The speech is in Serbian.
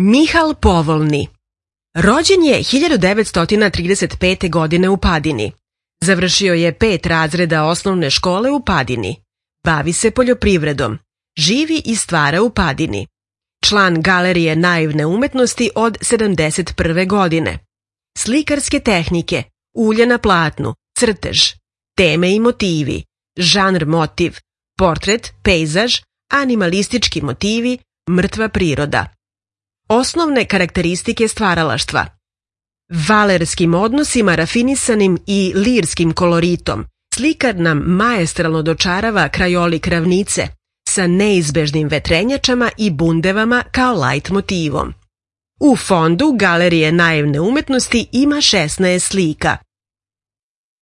Mihal Povolni. Rođen je 1935. godine u Padini. Završio je 5 razreda osnovne škole u Padini. Bavi se poljoprivredom. Živi i stvara u Padini. Član Galerije naivne umetnosti od 71. godine. Slikarske tehnike, ulje na platnu, crtež, teme i motivi, žanr motiv, portret, pejzaž, animalistički motivi, mrtva priroda. Osnovne karakteristike stvaralaštva. Valerskim odnosima rafinisanim i lirskim koloritom, slikar nam maestralno dočarava krajolik ravnice sa neizbežnim vetrenjačama i bundevama kao lajt motivom. U fondu Galerije naivne umetnosti ima 16 slika.